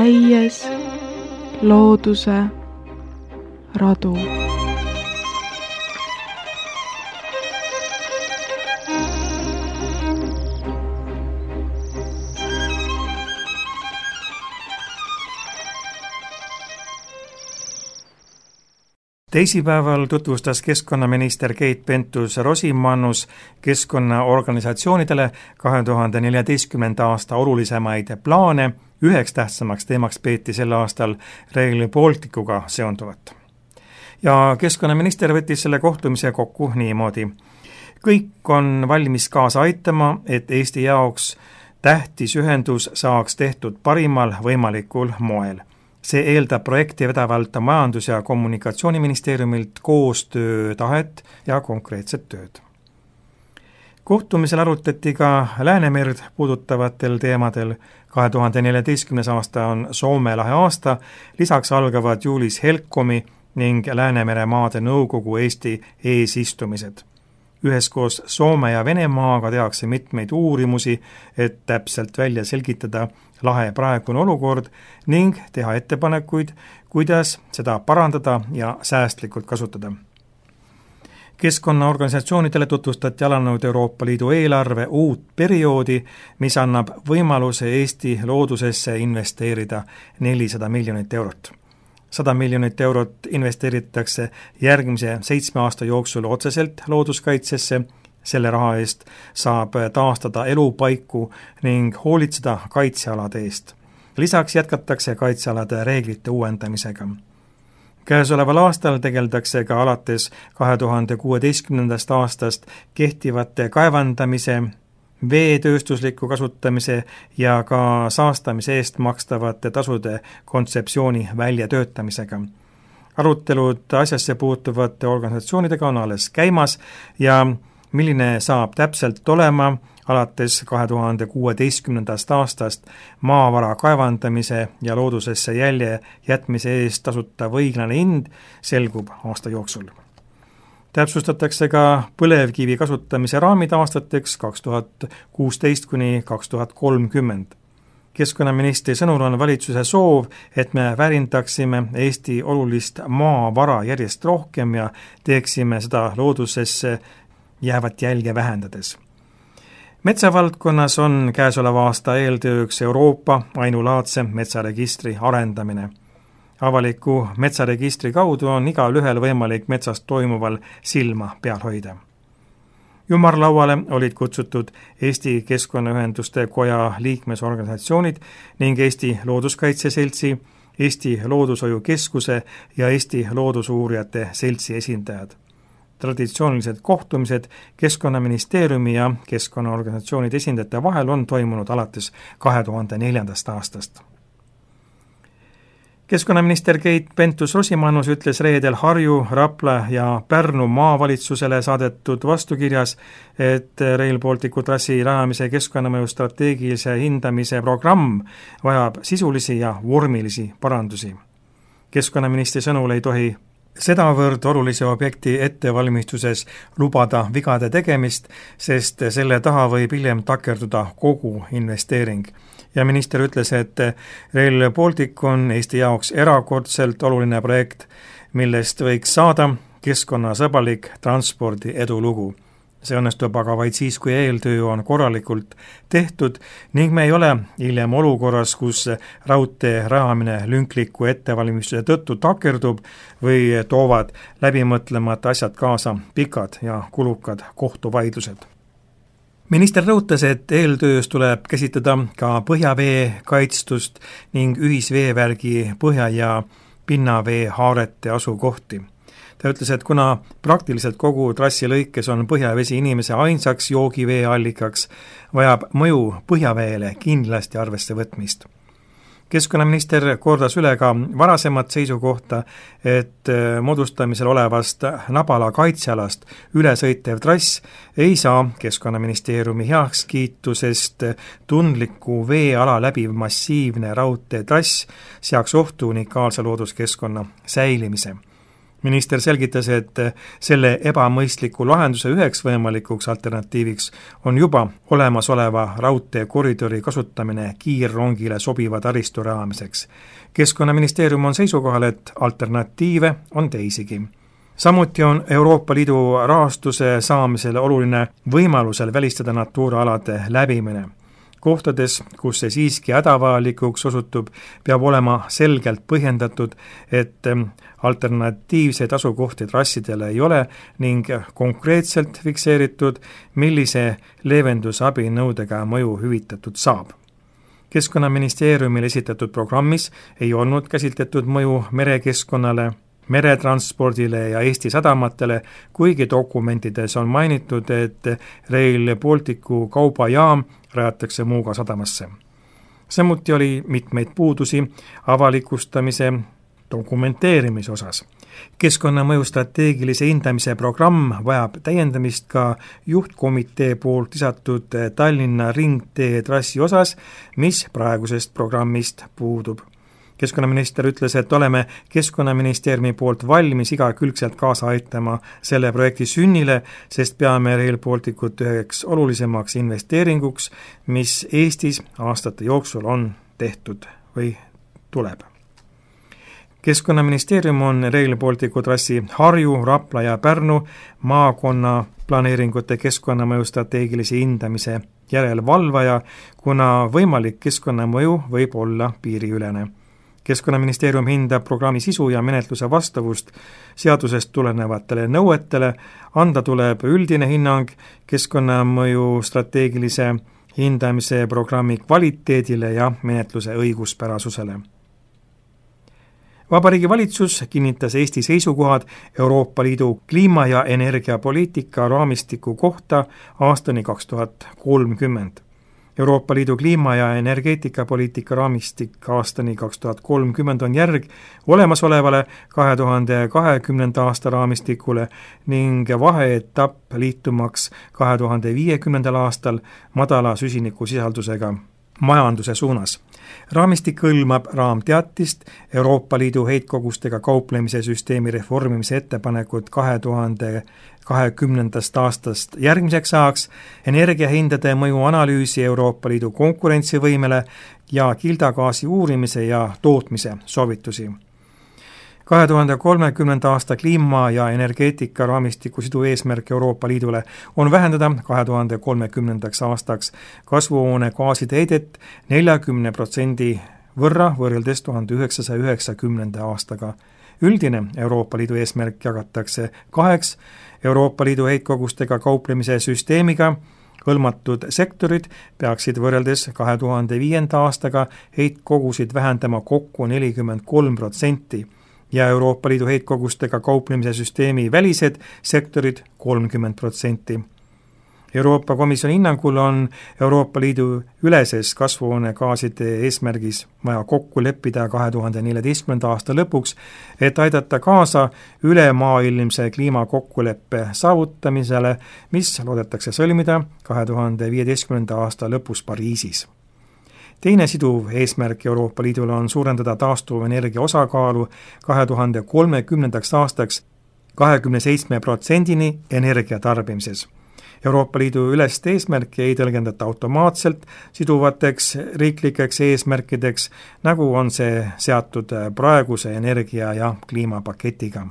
käies looduse radu. Teisipäeval tutvustas keskkonnaminister Keit Pentus-Rosimannus keskkonnaorganisatsioonidele 2014. aasta olulisemaid plaane. Üheks tähtsamaks teemaks peeti sel aastal Rail Balticuga seonduvat. Ja keskkonnaminister võttis selle kohtumise kokku niimoodi. Kõik on valmis kaasa aitama, et Eesti jaoks tähtis ühendus saaks tehtud parimal võimalikul moel. See eeldab projekti vedavalt Majandus- ja Kommunikatsiooniministeeriumilt koostöötahet ja konkreetset tööd. Kohtumisel arutati ka Läänemerd puudutavatel teemadel. 2014. aasta on Soome lahe aasta, lisaks algavad juulis Helcomi ning Läänemere maade nõukogu Eesti eesistumised. Üheskoos Soome ja Venemaaga tehakse mitmeid uurimusi, et täpselt välja selgitada lahe praegune olukord ning teha ettepanekuid, kuidas seda parandada ja säästlikult kasutada. Keskkonnaorganisatsioonidele tutvustati alanud Euroopa Liidu eelarve uut perioodi, mis annab võimaluse Eesti loodusesse investeerida 400 miljonit eurot. 100 miljonit eurot investeeritakse järgmise 7 aasta jooksul otseselt looduskaitsesse. Selle raha eest saab taastada elupaiku ning hoolitseda kaitsealade eest. Lisaks jätkatakse kaitsealade reeglite uuendamisega. Käesoleval aastal tegeldakse ka alates 2016. aastast kehtivate kaevandamise, veetööstusliku kasutamise ja ka saastamise eest makstavate tasude kontseptsiooni väljatöötamisega. Arutelud asjasse puutuvate organisatsioonidega on alles käimas ja milline saab täpselt olema alates 2016. aastast maavara kaevandamise ja loodusesse jälje jätmise eest tasutav õiglane hind, selgub aasta jooksul. Täpsustatakse ka põlevkivi kasutamise raamid aastateks 2016–2030. Keskkonnaministri sõnul on valitsuse soov, et me väärindaksime Eesti olulist maavara järjest rohkem ja teeksime seda loodusesse jäävat jälge vähendades. Metsavaldkonnas on käesoleva aasta eeltööks Euroopa ainulaadse metsaregistri arendamine. Avaliku metsaregistri kaudu on igal ühel võimalik metsast toimuval silma peal hoida. Ümarlauale olid kutsutud Eesti Keskkonnaühenduste Koja liikmesorganisatsioonid ning Eesti Looduskaitse Seltsi, Eesti Loodushoiukeskuse ja Eesti Loodusuurijate Seltsi esindajad. Traditsioonilised kohtumised Keskkonnaministeeriumi ja keskkonnaorganisatsioonide esindajate vahel on toimunud alates 2004. aastast. Keskkonnaminister Keit Pentus-Rosimannus ütles reedel Harju, Rapla ja Pärnu maavalitsusele saadetud vastukirjas, et Rail Balticu trassi rajamise keskkonnamõju strateegilise hindamise programm vajab sisulisi ja vormilisi parandusi. Keskkonnaministri sõnul ei tohi sedavõrd olulise objekti ettevalmistuses lubada vigade tegemist, sest selle taha võib hiljem takerduda kogu investeering. Ja minister ütles, et Rail Baltic on Eesti jaoks erakordselt oluline projekt, millest võiks saada keskkonnasõbralik transpordi edulugu. See õnnestub aga vaid siis, kui eeltöö on korralikult tehtud ning me ei ole hiljem olukorras, kus raudtee rajamine lünkliku ettevalmistuse tõttu takerdub või toovad läbimõtlemata asjad kaasa pikad ja kulukad kohtuvaidlused. Minister rõhutas, et eeltöös tuleb käsitleda ka põhjavee kaitstust ning ühisveevärgi põhja- ja pinnavee haarete asukohti. Ta ütles, et kuna praktiliselt kogu trassi lõikes on põhjavesi inimese ainsaks joogiveeallikaks, vajab mõju põhjaveele kindlasti arvesse võtmist. Keskkonnaminister kordas üle ka varasemat seisukohta, et moodustamisel olevast Nabala kaitsealast ülesõitev trass ei saa Keskkonnaministeeriumi heakskiitu, sest tundliku veeala läbiv massiivne raudteetrass seaks ohtu unikaalse looduskeskkonna säilimise. Minister selgitas, et selle ebamõistliku lahenduse üheks võimalikuks alternatiiviks on juba olemasoleva raudteekoridori kasutamine kiirrongile sobiva taristu rajamiseks. Keskkonnaministeerium on seisukohal, et alternatiive on teisigi. Samuti on Euroopa Liidu rahastuse saamisele oluline võimalusel välistada Natura alade läbimine. Kohtades, kus see siiski hädavajalikuks osutub, peab olema selgelt põhjendatud, et alternatiivseid asukohti trassidele ei ole ning konkreetselt fikseeritud, millise leevendusabinõudega mõju hüvitatud saab. Keskkonnaministeeriumil esitatud programmis ei olnud käsitletud mõju merekeskkonnale, meretranspordile ja Eesti sadamatele, kuigi dokumentides on mainitud, et Rail Balticu kaubajaam rajatakse Muuga sadamasse. Samuti oli mitmeid puudusi avalikustamise dokumenteerimise osas. Keskkonnamõju strateegilise hindamise programm vajab täiendamist ka juhtkomitee poolt lisatud Tallinna ringtee trassi osas, mis praegusest programmist puudub. Keskkonnaminister ütles, et oleme Keskkonnaministeeriumi poolt valmis igakülgselt kaasa aitama selle projekti sünnile, sest peame Rail Balticut üheks olulisemaks investeeringuks, mis Eestis aastate jooksul on tehtud või tuleb. Keskkonnaministeerium on Rail Balticu trassi Harju, Rapla ja Pärnu maakonna planeeringute keskkonnamõju strateegilise hindamise järelevalvaja, kuna võimalik keskkonnamõju võib olla piiriülene. Keskkonnaministeerium hindab programmi sisu ja menetluse vastavust seadusest tulenevatele nõuetele, anda tuleb üldine hinnang keskkonnamõju strateegilise hindamise programmi kvaliteedile ja menetluse õiguspärasusele. Vabariigi Valitsus kinnitas Eesti seisukohad Euroopa Liidu kliima- ja energiapoliitika raamistiku kohta aastani 2030. Euroopa Liidu kliima- ja energeetikapoliitika raamistik aastani 2030 on järg olemasolevale 2020. aasta raamistikule ning vaheetapp liitumaks 2050. aastal madala süsinikusisaldusega majanduse suunas. Raamistik hõlmab raamteatist, Euroopa Liidu heitkogustega kauplemise süsteemi reformimise ettepanekut 2020. aastast järgmiseks ajaks, energiahindade mõju analüüsi Euroopa Liidu konkurentsivõimele ja kildagaasi uurimise ja tootmise soovitusi. 2030. aasta kliima- ja energeetika raamistiku sidu eesmärk Euroopa Liidule on vähendada 2030. aastaks kasvuhoonegaaside heidet 40% võrra võrreldes 1990. aastaga. Üldine Euroopa Liidu eesmärk jagatakse kaheks: Euroopa Liidu heitkogustega kauplemise süsteemiga hõlmatud sektorid peaksid võrreldes 2005. aastaga heitkogusid vähendama kokku 43% ja Euroopa Liidu heitkogustega kauplemise süsteemi välised sektorid 30%. Euroopa Komisjoni hinnangul on Euroopa Liidu üleses kasvuhoonegaaside eesmärgis vaja kokku leppida 2014. aasta lõpuks, et aidata kaasa ülemaailmse kliimakokkuleppe saavutamisele, mis loodetakse sõlmida 2015. aasta lõpus Pariisis. Teine siduv eesmärk Euroopa Liidul on suurendada taastuvenergia osakaalu 2030. aastaks 27%-ni energia tarbimises. Euroopa Liidu ülest eesmärki ei tõlgendata automaatselt siduvateks riiklikeks eesmärkideks, nagu on see seatud praeguse energia- ja kliimapaketiga.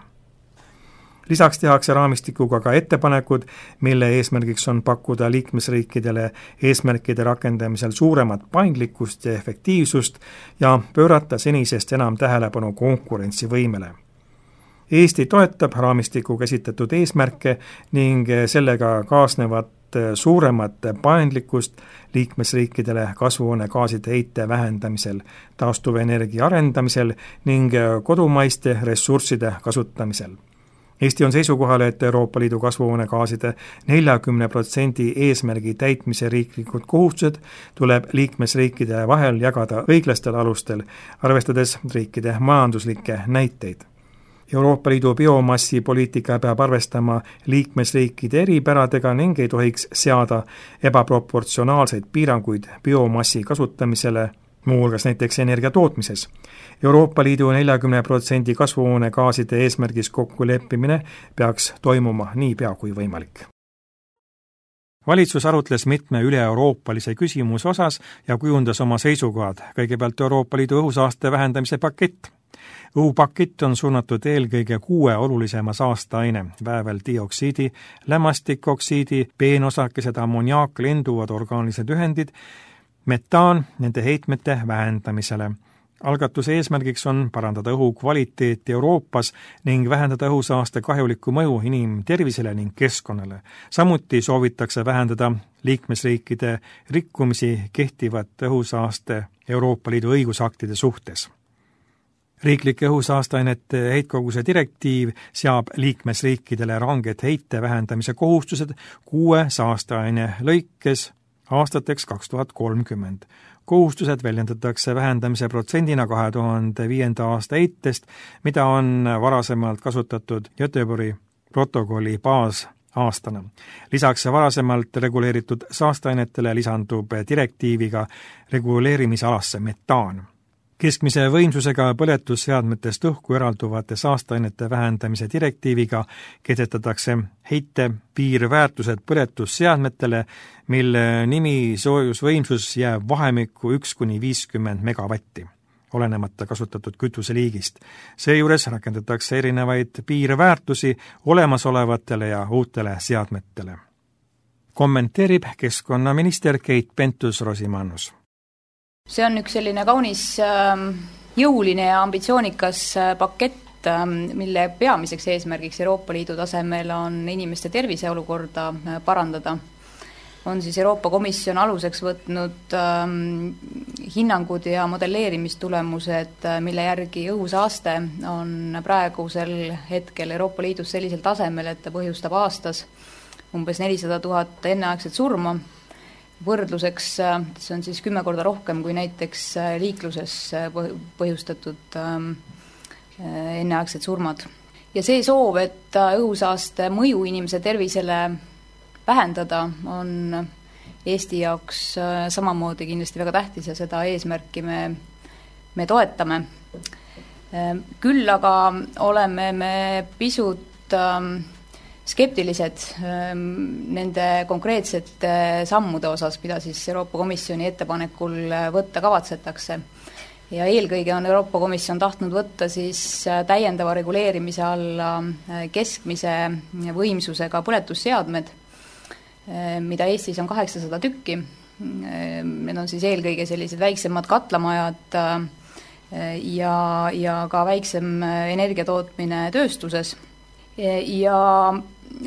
Lisaks tehakse raamistikuga ka ettepanekud, mille eesmärgiks on pakkuda liikmesriikidele eesmärkide rakendamisel suuremat paindlikkust ja efektiivsust ja pöörata senisest enam tähelepanu konkurentsivõimele. Eesti toetab raamistiku käsitletud eesmärke ning sellega kaasnevat suuremat paindlikkust liikmesriikidele kasvuhoonegaaside heite vähendamisel, taastuvenergia arendamisel ning kodumaiste ressursside kasutamisel. Eesti on seisukohal, et Euroopa Liidu kasvuhoonegaaside 40% eesmärgi täitmise riiklikud kohustused tuleb liikmesriikide vahel jagada õiglastel alustel, arvestades riikide majanduslikke näiteid. Euroopa Liidu biomassipoliitika peab arvestama liikmesriikide eripäradega ning ei tohiks seada ebaproportsionaalseid piiranguid biomassi kasutamisele, muuhulgas näiteks energia tootmises. Euroopa Liidu 40% kasvuhoonegaaside eesmärgis kokkuleppimine peaks toimuma niipea kui võimalik. Valitsus arutles mitme üle-euroopalise küsimuse osas ja kujundas oma seisukohad. Kõigepealt Euroopa Liidu õhusaaste vähendamise pakett. Õhupakett on suunatud eelkõige 6 olulisema saasteaine, vääveldioksiidi, lämmastikoksiidi, peenosakesed, ammoniaak, lenduvad orgaanilised ühendid, metaan nende heitmete vähendamisele. Algatuse eesmärgiks on parandada õhu kvaliteeti Euroopas ning vähendada õhusaaste kahjulikku mõju inimtervisele ning keskkonnale. Samuti soovitakse vähendada liikmesriikide rikkumisi kehtivat õhusaaste Euroopa Liidu õigusaktide suhtes. Riiklike õhusaasteainete heitkoguse direktiiv seab liikmesriikidele ranged heite vähendamise kohustused 6 saasteaine lõikes aastateks 2030. Kohustused väljendatakse vähendamise protsendina 2005. aasta heitest, mida on varasemalt kasutatud Göteborgi protokolli baasaastana. Lisaks varasemalt reguleeritud saasteainetele lisandub direktiiviga reguleerimisalasse metaan. Keskmise võimsusega põletusseadmetest õhku eralduvate saasteainete vähendamise direktiiviga kehtestatakse heite piirväärtused põletusseadmetele, mille nimi soojusvõimsus jääb vahemikku 1–50 megavatti, olenemata kasutatud kütuseliigist. Seejuures rakendatakse erinevaid piirväärtusi olemasolevatele ja uutele seadmetele. Kommenteerib keskkonnaminister Keit Pentus-Rosimannus. See on üks selline kaunis jõuline ja ambitsioonikas pakett, mille peamiseks eesmärgiks Euroopa Liidu tasemel on inimeste terviseolukorda parandada. On siis Euroopa Komisjon aluseks võtnud hinnangud ja modelleerimistulemused, mille järgi õhusaaste on praegusel hetkel Euroopa Liidus sellisel tasemel, et ta põhjustab aastas umbes 400 000 enneaegset surma. Võrdluseks, see on siis 10 korda rohkem kui näiteks liikluses põhjustatud enneaegsed surmad. Ja see soov, et õhusaaste mõju inimese tervisele vähendada, on Eesti jaoks samamoodi kindlasti väga tähtis ja seda eesmärki me toetame. Küll aga oleme me pisut skeptilised nende konkreetsete sammude osas, mida siis Euroopa Komisjoni ettepanekul võtta kavatsetakse. Ja eelkõige on Euroopa Komisjon tahtnud võtta siis täiendava reguleerimise alla keskmise võimsusega põletusseadmed, mida Eestis on 800 tükki. Need on siis eelkõige sellised väiksemad katlamajad ja ka väiksem energiatootmine tööstuses. Ja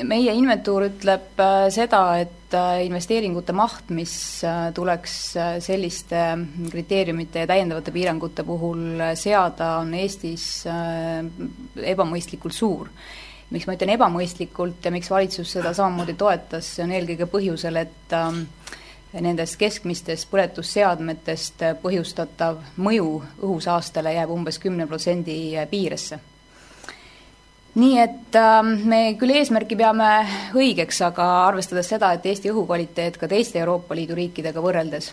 meie inventuur ütleb seda, et investeeringute maht, mis tuleks selliste kriteeriumite ja täiendavate piirangute puhul seada, on Eestis ebamõistlikult suur. Miks ma ütlen ebamõistlikult ja miks valitsus seda samamoodi toetas, see on eelkõige põhjusel, et nendest keskmistest põletusseadmetest põhjustatav mõju õhusaastele jääb umbes 10% piiresse. Nii et me küll eesmärki peame õigeks, aga arvestades seda, et Eesti õhukvaliteet ka teiste Euroopa Liidu riikidega võrreldes,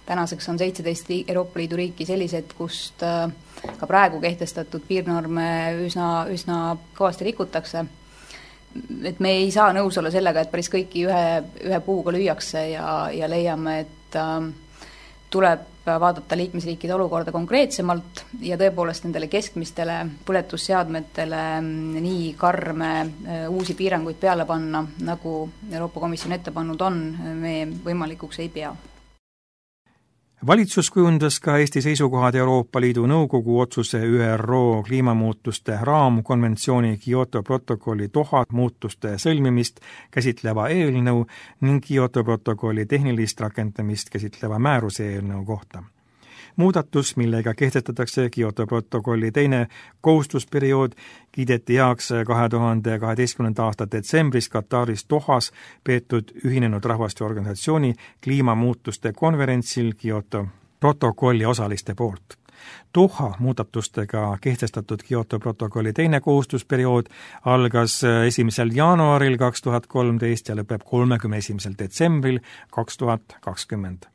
tänaseks on 17 Euroopa Liidu riiki sellised, kust ka praegu kehtestatud piirnorme üsna kõvasti rikutakse, et me ei saa nõus olla sellega, et päris kõiki ühe puuga lüüakse ja leiame, et tuleb vaadata liikmesriikide olukorda konkreetsemalt ja tõepoolest nendele keskmistele põletusseadmetele nii karme uusi piiranguid peale panna, nagu Euroopa Komisjon ette pannud on, me võimalikuks ei pea. Valitsus kujundas ka Eesti seisukohad Euroopa Liidu Nõukogu otsuse ÜRO kliimamuutuste raamkonventsiooni Kyoto protokolli Doha muutuste sõlmimist käsitleva eelnõu ning Kyoto protokolli tehnilist rakendamist käsitleva määruse eelnõu kohta. Muudatus, millega kehtestatakse Kyoto protokolli teine kohustusperiood, kiideti heaks 2012. aasta detsembris Kataris Dohas peetud Ühinenud Rahvaste Organisatsiooni kliimamuutuste konverentsil Kyoto protokolli osaliste poolt. Doha muudatustega kehtestatud Kyoto protokolli teine kohustusperiood algas 1. jaanuaril 2013 ja lõpeb 31. detsembril 2020.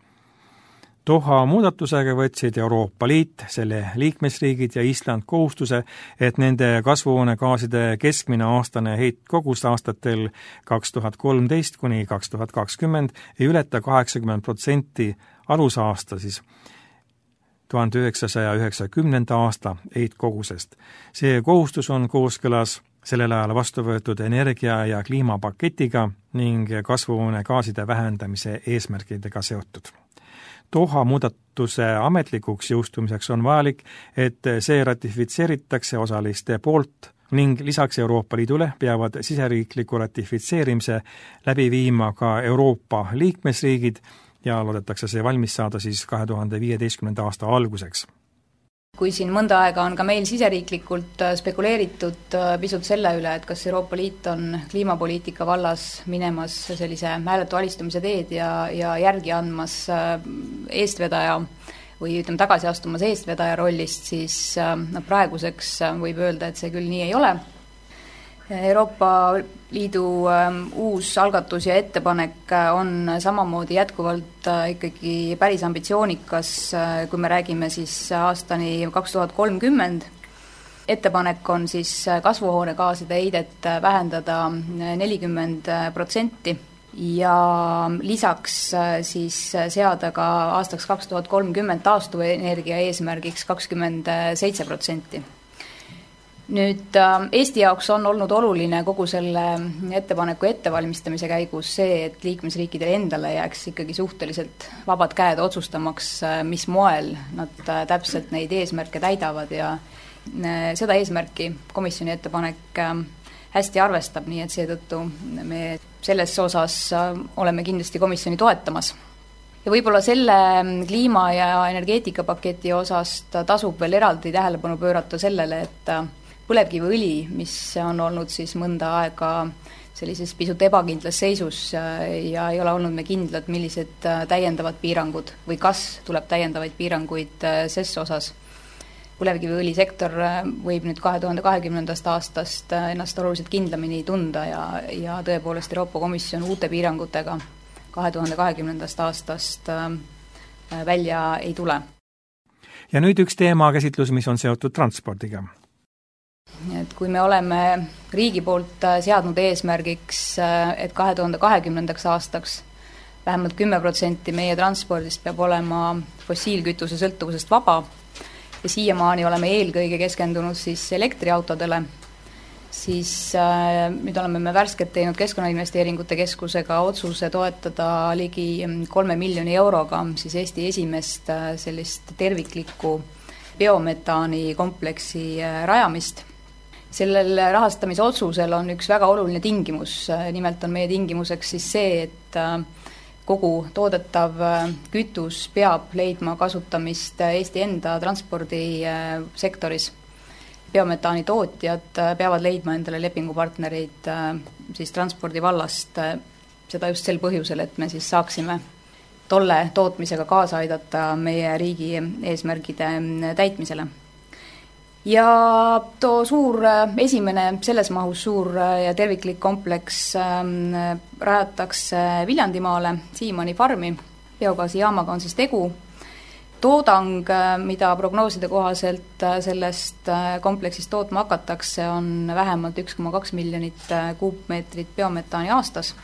Doha muudatusega võtsid Euroopa Liit, selle liikmesriigid ja Island kohustuse, et nende kasvuhoonegaaside keskmine aastane heitkogus aastatel 2013 kuni 2020 ei ületa 80% alusaasta siis 1990. aasta heitkogusest. See kohustus on kooskõlas sellel ajal vastu võetud energia- ja kliimapaketiga ning kasvuhoonegaaside vähendamise eesmärkidega seotud. Doha muudatuse ametlikuks jõustumiseks on vajalik, et see ratifitseeritakse osaliste poolt ning lisaks Euroopa Liidule peavad siseriikliku ratifitseerimise läbi viima ka Euroopa liikmesriigid ja loodetakse see valmis saada siis 2015. aasta alguseks. Kui siin mõnda aega on ka meil siseriiklikult spekuleeritud pisut selle üle, et kas Euroopa Liit on kliimapoliitika vallas minemas sellise hääletu alistumise teed ja järgi andmas eestvedaja või ütleme tagasi astumas eestvedaja rollist, siis praeguseks võib öelda, et see küll nii ei ole. Euroopa Liidu uus algatus ja ettepanek on samamoodi jätkuvalt ikkagi päris ambitsioonikas, kui me räägime siis aastani 2030. Ettepanek on siis kasvuhoonegaaside heidet vähendada 40% ja lisaks siis seada ka aastaks 2030 taastuvenergia eesmärgiks 27%. Nüüd Eesti jaoks on olnud oluline kogu selle ettepaneku ettevalmistamise käigus see, et liikmesriikidele endale jääks ikkagi suhteliselt vabad käed otsustamaks, mis moel nad täpselt neid eesmärke täidavad ja seda eesmärki komisjoni ettepanek hästi arvestab, nii et seetõttu me selles osas oleme kindlasti komisjoni toetamas. Ja võib-olla selle kliima- ja energeetikapaketi osast tasub veel eraldi tähelepanu pöörata sellele, et põlevkiviõli, mis on olnud siis mõnda aega sellises pisut ebakindlas seisus ja ei ole olnud me kindlad, millised täiendavad piirangud või kas tuleb täiendavaid piiranguid ses osas. Põlevkiviõlisektor võib nüüd 2020. aastast ennast oluliselt kindlamini tunda ja tõepoolest Euroopa Komisjon uute piirangutega 2020. aastast välja ei tule. Ja nüüd üks teema käsitlus, mis on seotud transpordiga. Et kui me oleme riigi poolt seadnud eesmärgiks, et 2020. aastaks vähemalt 10% meie transpordist peab olema fossiilkütuse sõltuvusest vaba ja siiamaani oleme eelkõige keskendunud siis elektriautodele, siis nüüd oleme me värskelt teinud Keskkonnainvesteeringute Keskusega otsuse toetada ligi 3 miljoni euroga siis Eesti esimest sellist terviklikku biometaani kompleksi rajamist. Sellel rahastamise otsusel on üks väga oluline tingimus, nimelt on meie tingimuseks siis see, et kogu toodetav kütus peab leidma kasutamist Eesti enda transpordisektoris. Biometaani tootjad peavad leidma endale lepingupartnereid siis transpordi vallast, seda just sel põhjusel, et me siis saaksime tolle tootmisega kaasa aidata meie riigi eesmärgide täitmisele. Ja too esimene selles mahus suur ja terviklik kompleks rajatakse Viljandimaale, Siimanni farmi, biogaasijaamaga on siis tegu. Toodang, mida prognooside kohaselt sellest kompleksist tootma hakatakse, on vähemalt 1,2 miljonit kuupmeetrit biometaani aastas.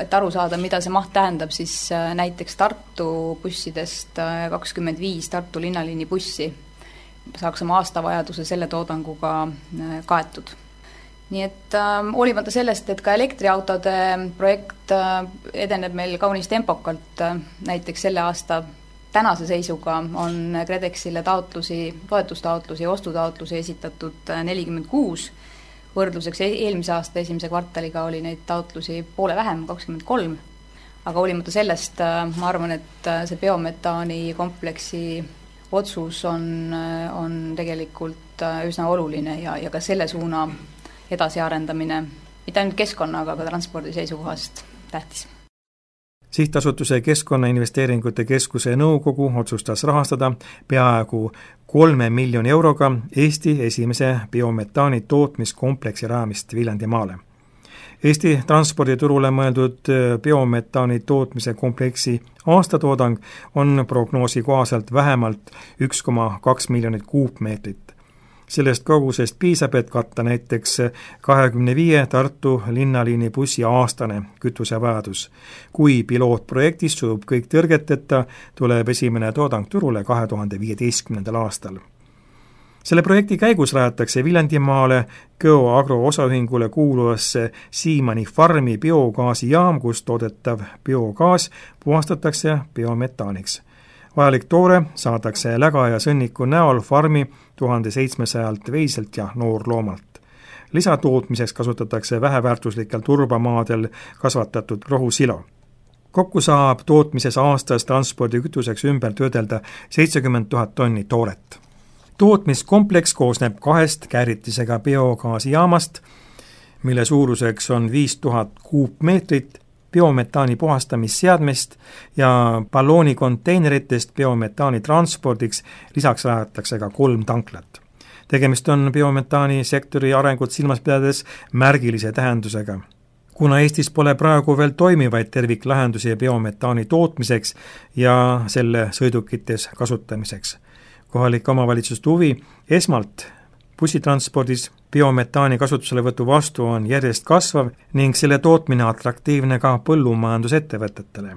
Et aru saada, mida see maht tähendab, siis näiteks Tartu bussidest 25 Tartu linnaliini bussi saaks oma aastavajaduse selle toodanguga kaetud. Nii et hoolimata sellest, et ka elektriautode projekt edeneb meil kaunis tempokalt, näiteks selle aasta tänase seisuga on KredExile toetustaotlusi ja ostutaotlusi esitatud 46, võrdluseks eelmise aasta esimese kvartaliga oli neid taotlusi poole vähem, 23, aga hoolimata sellest ma arvan, et see biometaani kompleksi otsus on tegelikult üsna oluline ja ka selle suuna edasiarendamine, mitte ainult keskkonna, aga ka transpordi seisukohast tähtis. Sihtasutuse Keskkonnainvesteeringute Keskuse nõukogu otsustas rahastada peaaegu 3 miljoni euroga Eesti esimese biometaani tootmiskompleksi rajamist Viljandimaale. Eesti transporditurule mõeldud biometaani tootmise kompleksi aastatoodang on prognoosi kohaselt vähemalt 1,2 miljonit kuupmeetrit. Sellest kogusest piisab, et katta näiteks 25 Tartu linnaliini bussi aastane kütusevajadus. Kui pilootprojektis sujub kõik tõrgeteta, tuleb esimene toodang turule 2015. aastal. Selle projekti käigus rajatakse Viljandimaale Geoagro osaühingule kuuluvasse Siimanni farmi biogaasijaam, kus toodetav biogaas puhastatakse biometaaniks. Vajalik toore saadakse läga ja sõnniku näol farmi 1700 veiselt ja noorloomalt. Lisatootmiseks kasutatakse väheväärtuslikel turbamaadel kasvatatud rohusilo. Kokku saab tootmises aastas transpordikütuseks ümber töödelda 70 000 tonni tooret. Tootmiskompleks koosneb 2 kääritisega biogaasijaamast, mille suuruseks on 5000 kuupmeetrit, biometaani puhastamisseadmest ja balloonikonteineritest biometaani transpordiks, lisaks rajatakse ka 3 tanklat. Tegemist on biometaani sektori arengut silmas pidades märgilise tähendusega. Kuna Eestis pole praegu veel toimivaid terviklahendusi biometaani tootmiseks ja selle sõidukites kasutamiseks. Kohalike omavalitsuste huvi esmalt bussitranspordis biometaani kasutuselevõtu vastu on järjest kasvav ning selle tootmine atraktiivne ka põllumajandusettevõtetele.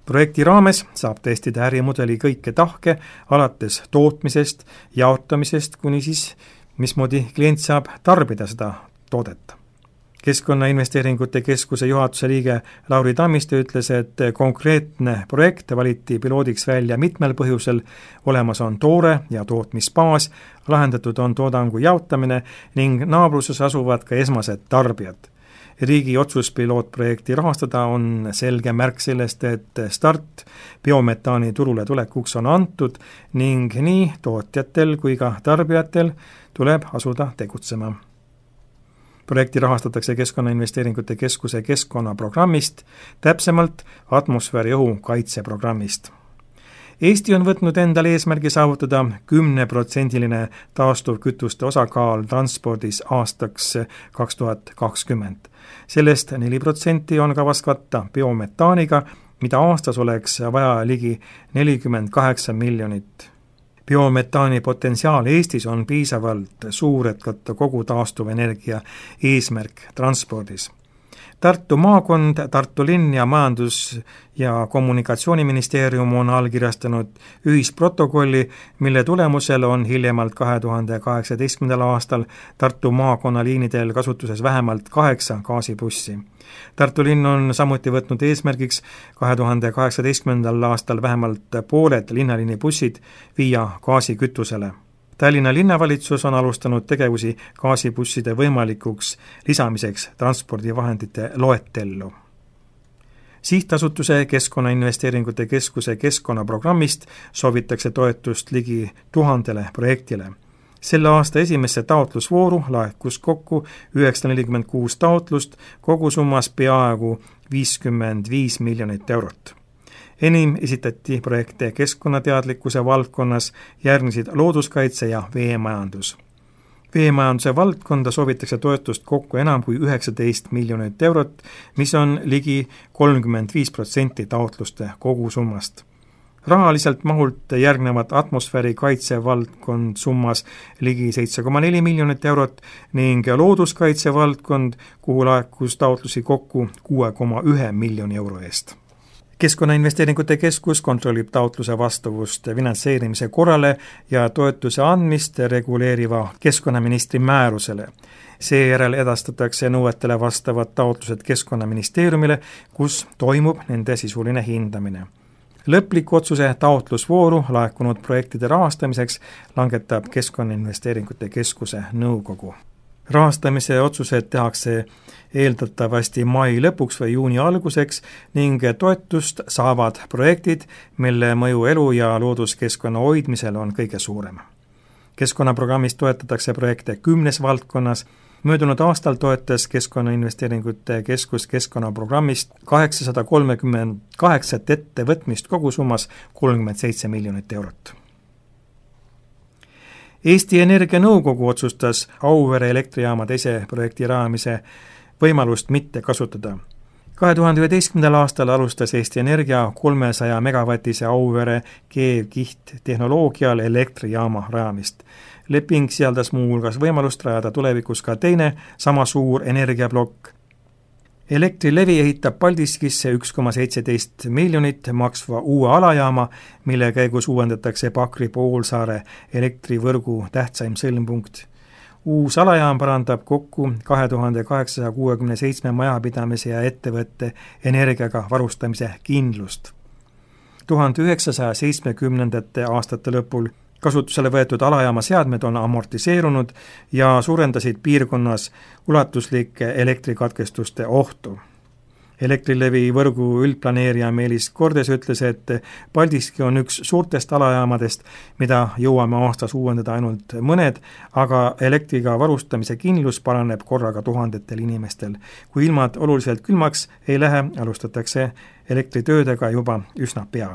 Projekti raames saab testida ärimudeli kõike tahke, alates tootmisest, jaotamisest, kuni siis mismoodi klient saab tarbida seda toodet. Keskkonnainvesteeringute keskuse juhatuse liige Lauri Tammiste ütles, et konkreetne projekt valiti piloodiks välja mitmel põhjusel, olemas on toore ja tootmisbaas, lahendatud on toodangu jaotamine ning naabruses asuvad ka esmased tarbijad. Riigi otsus pilootprojekti rahastada on selge märk sellest, et start biometaani turule tulekuks on antud ning nii tootjatel kui ka tarbijatel tuleb asuda tegutsema. Projekti rahastatakse Keskkonnainvesteeringute keskuse keskkonnaprogrammist, täpsemalt atmosfääriõhu kaitseprogrammist. Eesti on võtnud endale eesmärgi saavutada 10% taastuvkütuste osakaal transpordis aastaks 2020. Sellest 4% on kavas katta biometaaniga, mida aastas oleks vaja ligi 48 miljonit. Biometaani potentsiaal Eestis on piisavalt suur, et katta kogu taastuvenergia eesmärk transpordis. Tartu maakond, Tartu linn ja Majandus- ja Kommunikatsiooniministeerium on allkirjastanud ühisprotokolli, mille tulemusel on hiljemalt 2018. aastal Tartu maakonna liinidel kasutuses vähemalt 8 gaasibussi. Tartu linn on samuti võtnud eesmärgiks 2018. aastal vähemalt pooled linnaliini bussid viia gaasikütusele. Tallinna linnavalitsus on alustanud tegevusi gaasibusside võimalikuks lisamiseks transpordivahendite loetellu. Sihtasutuse Keskkonnainvesteeringute keskuse keskkonnaprogrammist soovitakse toetust ligi 1000 projektile. Selle aasta esimesse taotlusvooru laekus kokku 946 taotlust, kogusummas peaaegu 55 miljonit eurot. Enim esitati projekte keskkonnateadlikkuse valdkonnas, järgnesid looduskaitse ja veemajandus. Veemajanduse valdkonda soovitakse toetust kokku enam kui 19 miljonit eurot, mis on ligi 35% taotluste kogusummast. Rahaliselt mahult järgnevad atmosfääri kaitsevaldkond summas ligi 7,4 miljonit eurot ning looduskaitsevaldkond, kuhu laekus taotlusi kokku 6,1 miljoni euro eest. Keskkonnainvesteeringute keskus kontrollib taotluse vastavust finantseerimise korrale ja toetuse andmist reguleeriva keskkonnaministri määrusele. Seejärel edastatakse nõuetele vastavad taotlused Keskkonnaministeeriumile, kus toimub nende sisuline hindamine. Lõpliku otsuse taotlusvooru laekunud projektide rahastamiseks langetab Keskkonnainvesteeringute keskuse nõukogu. Rahastamise otsused tehakse eeldatavasti mai lõpuks või juuni alguseks ning toetust saavad projektid, mille mõju elu- ja looduskeskkonna hoidmisel on kõige suurem. Keskkonnaprogrammis toetatakse projekte 10 valdkonnas. Möödunud aastal toetas Keskkonnainvesteeringute keskus keskkonnaprogrammist 838 ettevõtmist kogusummas 37 miljonit eurot. Eesti Energia Nõukogu otsustas Auvere elektrijaama teise projekti rajamise võimalust mitte kasutada. 2011. aastal alustas Eesti Energia 300 megavatise Auvere keevkihttehnoloogial elektrijaama rajamist. Leping sisaldas muu hulgas võimalust rajada tulevikus ka teine sama suur energiaplokk. Elektrilevi ehitab Paldiskisse 1,17 miljonit maksva uue alajaama, mille käigus uuendatakse Pakri poolsaare elektrivõrgu tähtsaim sõlmpunkt. Uus alajaam parandab kokku 2867 majapidamise ja ettevõtte energiaga varustamise kindlust. 1970. aastate lõpul kasutusele võetud alajaama seadmed on amortiseerunud ja suurendasid piirkonnas ulatuslike elektrikatkestuste ohtu. Elektrilevi võrgu üldplaneerija Meelis Kordes ütles, et Paldiski on üks suurtest alajaamadest, mida jõuame aastas uuendada ainult mõned, aga elektriga varustamise kindlus paraneb korraga tuhandetel inimestel. Kui ilmad oluliselt külmaks ei lähe, alustatakse elektritöödega juba üsna pea.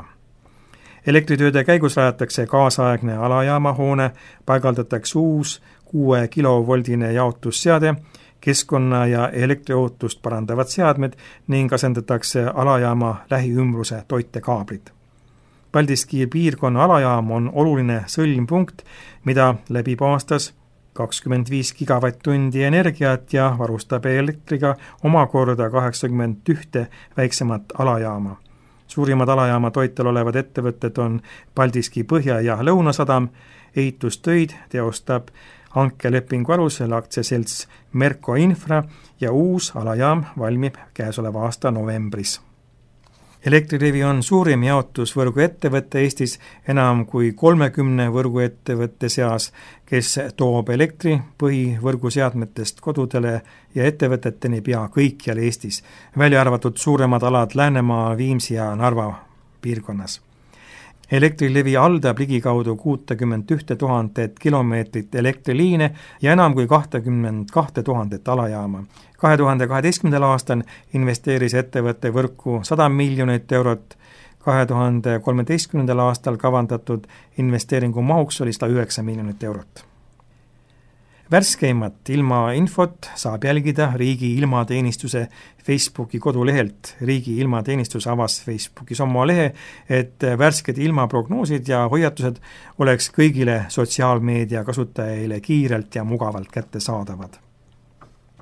Elektritööde käigus rajatakse kaasaegne alajaamahoone, paigaldatakse uus 6 kilovoldine jaotusseade, keskkonna- ja elektriohutust parandavad seadmed ning asendatakse alajaama lähiümbruse toitekaabrid. Paldiski piirkonna alajaam on oluline sõlmpunkt, mida läbib aastas 25 gigavatt-tundi energiat ja varustab elektriga omakorda 81 väiksemat alajaama. Suurimad alajaama toitel olevad ettevõtted on Paldiski Põhja- ja Lõunasadam, ehitustöid teostab hankelepingu alusel aktsiaselts Merko Infra ja uus alajaam valmib käesoleva aasta novembris. Elektrilevi on suurim jaotusvõrgu ettevõtte Eestis enam kui 30 võrguettevõtte seas, kes toob elektri põhivõrguseadmetest kodudele ja ettevõteteni pea kõikjal Eestis, välja arvatud suuremad alad Läänemaa, Viimsi ja Narva piirkonnas. Elektrilevi haldab ligikaudu 61 000 kilomeetrit elektriliine ja enam kui 22 000 alajaama. 2012. aastal investeeris ettevõtte võrku 100 miljonit eurot, 2013. aastal kavandatud investeeringu mahuks oli 109 miljonit eurot. Värskeimat ilmainfot saab jälgida Riigi Ilmateenistuse Facebooki kodulehelt. Riigi Ilmateenistus avas Facebookis oma lehe, et värsked ilmaprognoosid ja hoiatused oleks kõigile sotsiaalmeedia kasutajaile kiirelt ja mugavalt kättesaadavad.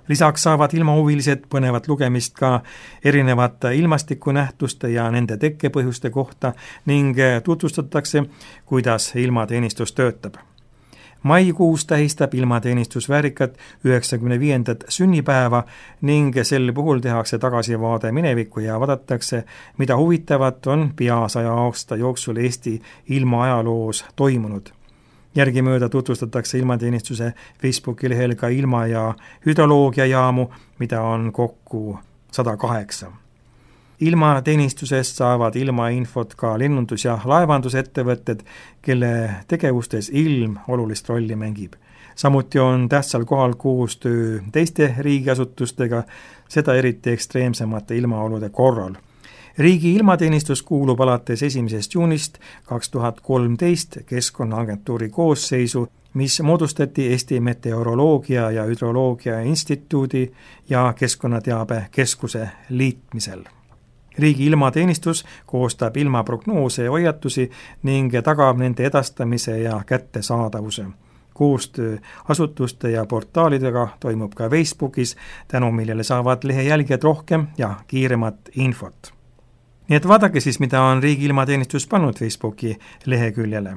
Lisaks saavad ilmahuvilised põnevat lugemist ka erinevate ilmastikunähtuste ja nende tekkepõhjuste kohta ning tutvustatakse, kuidas ilmateenistus töötab. Maikuus tähistab ilmateenistus väärikat 95. sünnipäeva ning sel puhul tehakse tagasivaade minevikku ja vaadatakse, mida huvitavat on pea 100 aasta jooksul Eesti ilmaajaloos toimunud. Järgimööda tutvustatakse ilmateenistuse Facebooki lehel ka ilma- ja hüdroloogiajaamu, mida on kokku 108. Ilmateenistusest saavad ilmainfot ka lennundus- ja laevandusettevõtted, kelle tegevustes ilm olulist rolli mängib. Samuti on tähtsal kohal koostöö teiste riigiasutustega, seda eriti ekstreemsemate ilmaolude korral. Riigi ilmateenistus kuulub alates 1. juunist 2013 Keskkonnaagentuuri koosseisu, mis moodustati Eesti Meteoroloogia ja Hüdroloogia Instituudi ja Keskkonnateabe Keskuse liitmisel. Riigi ilmateenistus koostab ilmaprognoose ja hoiatusi ning tagab nende edastamise ja kättesaadavuse. Koostöö asutuste ja portaalidega toimub ka Facebookis, tänu millele saavad lehe jälgijad rohkem ja kiiremat infot. Nii et vaadake siis, mida on Riigi ilmateenistus pannud Facebooki leheküljele.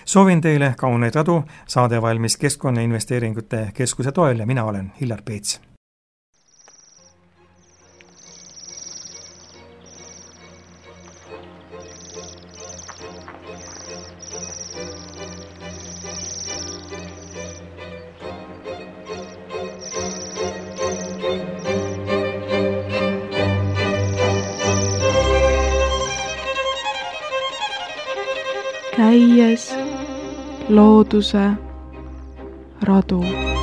Soovin teile kauneid radu, saade valmis Keskkonnainvesteeringute Keskuse toel ja mina olen Hillar Peets. Käies looduse radu.